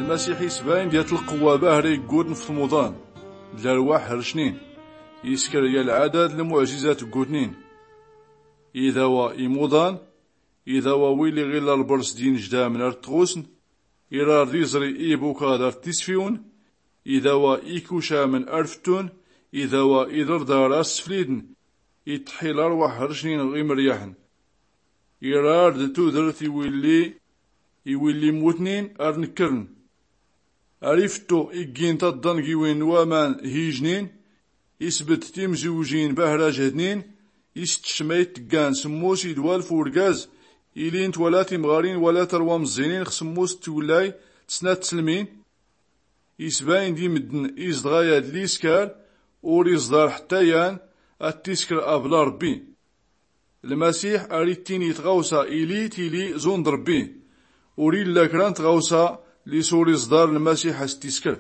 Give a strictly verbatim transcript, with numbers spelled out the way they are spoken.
Lmasiḥ isbayn d-yat lqwwa bahra iggutn f-tmuḍan d-larwaḥ hrcnin. Iskr ya lɛadad lmuɛjizat ggutnin. Idawa imuḍan, idawa wi liɣilla lbrs d-injdamn ar-tɣusn, irar d-iẓri ibukad ar-tisfiwn, idawa ikucamn ar-ftun, idawa iḍrdar ar-sflidn, itḥi larwaḥ hrcnin ɣ-imryaḥn. Irar d-tudrt iwilli iwilli mmutnin ar-nkrn. Ar-iftu iggin taḍḍangiwin n-waman hijnin, isbt timziwjin bahra jhdnin, istcmayt tggan smmus idwal f-urgaz, ilint wala timɣarin wala tarwa mẓinin ɣ-smmus twlay d-snat tslmin. Isbayn d-imddn izdɣa yad liskar, ur iẓḍar ḥtta yan ad-tiskr abla rbbi. Lmasiḥ ar-ittini tɣawsa ili tili zund rbbi. Ur illa kra n-tɣawsa lis ur iẓḍar lmasiḥ as-tiskr.